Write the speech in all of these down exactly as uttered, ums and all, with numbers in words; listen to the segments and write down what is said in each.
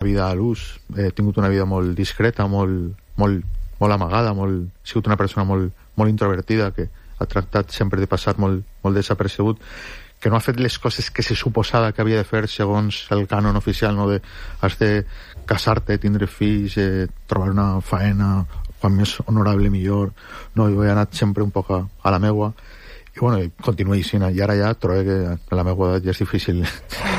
vida a l'ús, he tingut una vida molt discreta, molt, molt, molt amagada, molt, he sigut una persona molt, molt introvertida, que ha tractat sempre de passar molt, molt desapercebut, que no ha fet les coses que se suposava que havia de fer segons el cànon oficial, no? De, has de casar-te, tindre fills, eh, trobar una faena, quan més honorable millor. No, jo he anat sempre un poc a, a la meua, i bueno, continuo així, i ara ja trobo que a la meva edat ja és difícil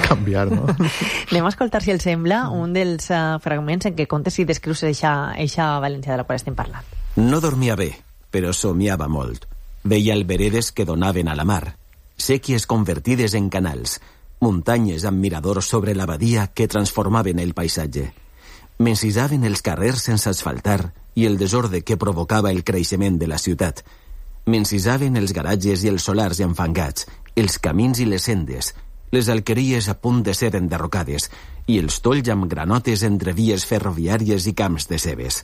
canviar, no? Anem a escoltar, si el sembla, un dels uh, fragments en què contes i descrius eixa València de la qual estem parlant. No dormia bé, però somiava molt. Veia alberedes que donaven a la mar, sèquies convertides en canals, muntanyes amb miradors sobre la badia que transformaven el paisatge. M'encisaven els carrers sense asfaltar i el desordre que provocava el creixement de la ciutat. M'encisaven els garatges i els solars enfangats, els camins i les sendes, les alqueries a punt de ser enderrocades i els tolls amb granotes entre vies ferroviàries i camps de cebes.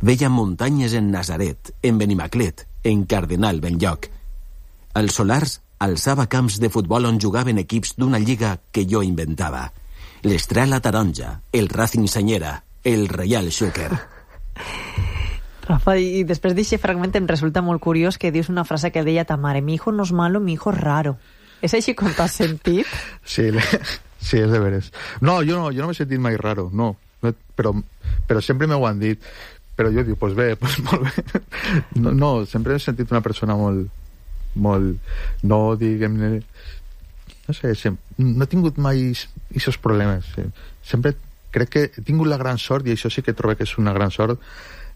Veia muntanyes en Nazaret, en Benimaclet, en Cardenal Benlloc. Els solars alçava camps de futbol on jugaven equips d'una lliga que jo inventava. L'Estrela Taronja, el Racing Senyera, el Reial Xúquer. Rafa, i després d'aquest fragment em resulta molt curiós que dius una frase que deia ta mare: mi hijo no es malo, mi hijo es raro. És així com t'has sentit? Sí, sí, és de veres. No, jo no, jo no m'he sentit mai raro, no, però, però sempre m'ho han dit. Però jo dic, pues bé, pues molt bé. No, no, sempre he sentit una persona molt, molt, no, diguem-ne, no sé, sempre, no he tingut mai aquests problemes. Sempre crec que he tingut la gran sort, i això sí que trobo que és una gran sort,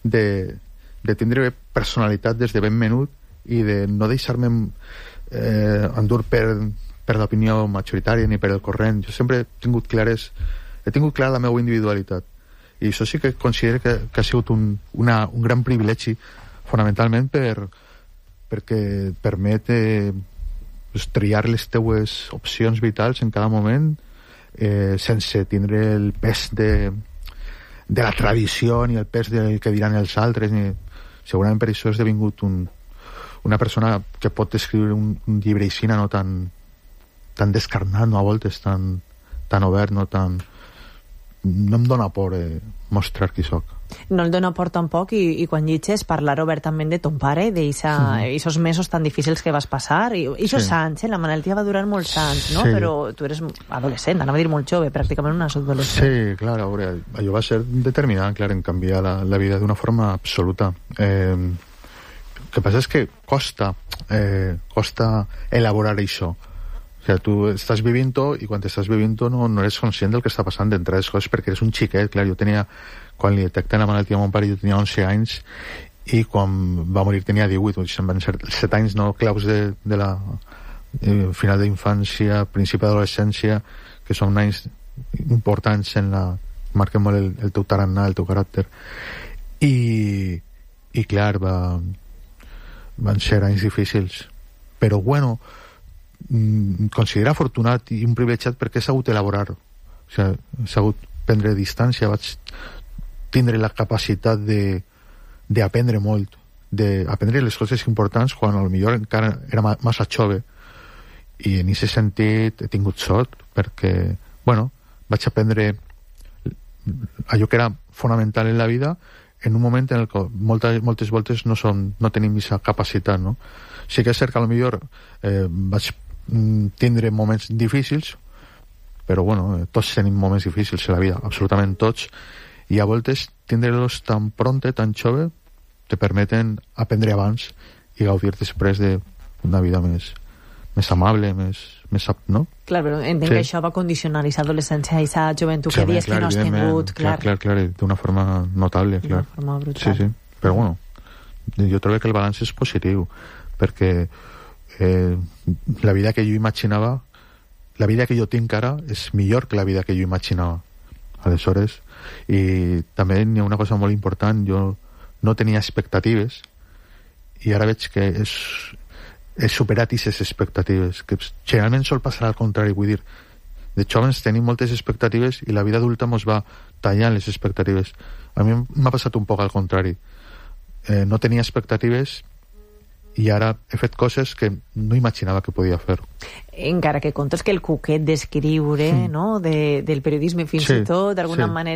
de, de tindre personalitat des de ben menut i de no deixar-me eh, endur per, per l'opinió majoritària ni per el corrent. Jo sempre he tingut clares, he tingut clara la meva individualitat, i això sí que considero que, que ha sigut un, una, un gran privilegi, fonamentalment per, perquè et permet eh, pues, triar les teues opcions vitals en cada moment, eh, sense tindre el pes de de la tradició ni el pes del que diran els altres, ni... segurament per això he esdevingut un, una persona que pot escriure un, un llibre així, no tan, tan descarnat, no, a voltes tan, tan obert, no tan... no em dóna por eh, mostrar qui soc. No el dóna por tampoc, i, i quan llitges parlar obertament de ton pare, d'aquests mesos tan difícils que vas passar, i aquests sí. anys, eh? La malaltia va durar molts anys, no? Sí. Però tu eres adolescent, anava a dir molt jove, pràcticament un adolescent. Sí, clar, a veure, allò va ser determinant, clar, en canviar la, la vida d'una forma absoluta. Eh, el que passa és que costa, eh, costa elaborar això. O sigui, tu estàs vivint-ho, i quan estàs vivint-ho no, no eres conscient del que està passant d'entre les coses, perquè eres un xiquet, clar. Jo tenia, quan li detecten la malaltia a mon pare, jo tenia onze anys, i quan va morir tenia divuit, o sigui, van ser set anys, no, claus de, de la eh, final d'infància, principi d'adolescència, que són anys importants en la... marquen molt el, el teu tarannà, el teu caràcter. I, i clar, va, van ser anys difícils. Però, bueno, considera afortunat i un privilegiat perquè he sabut elaborar-ho. O sigui, he sabut prendre distància, vaig tindre la capacitat de d'aprendre molt, d'aprendre les coses importants quan potser encara era massa jove, i en aquest sentit he tingut sort perquè, bueno, vaig aprendre allò que era fonamental en la vida en un moment en el que moltes, moltes voltes no, som, no tenim aquesta capacitat, no? Sí que és cert que potser eh, vaig tindre moments difícils, però bueno, tots tenim moments difícils a la vida, absolutament tots, i a voltes tindre-los tan pronte, tan jove, te permeten aprendre abans i gaudir després d'una vida més, més amable, més, més, no? Clar, però entenc sí. que això va condicionar aquesta adolescència, aquesta joventut que dius que no has tingut, clar. Clar, clar, clar, d'una forma notable, clar. D'una forma brutal. Sí, sí, però bueno, jo trobo que el balanç és positiu, perquè eh, la vida que jo imaginava, la vida que jo tinc ara és millor que la vida que jo imaginava. Aleshores, i també hi ha una cosa molt important, jo no tenia expectatives, i ara veig que és, he superat aquestes expectatives, que generalment sol passar al contrari. Vull dir, de jovens tenim moltes expectatives i la vida adulta ens va tallant les expectatives. A mi m'ha passat un poc al contrari. Eh, no tenia expectatives i ara he fet coses que no imaginava que podia fer. Encara que contes que el cuquet d'escriure, mm. no?, de, del periodisme fins sí, i tot, d'alguna sí. manera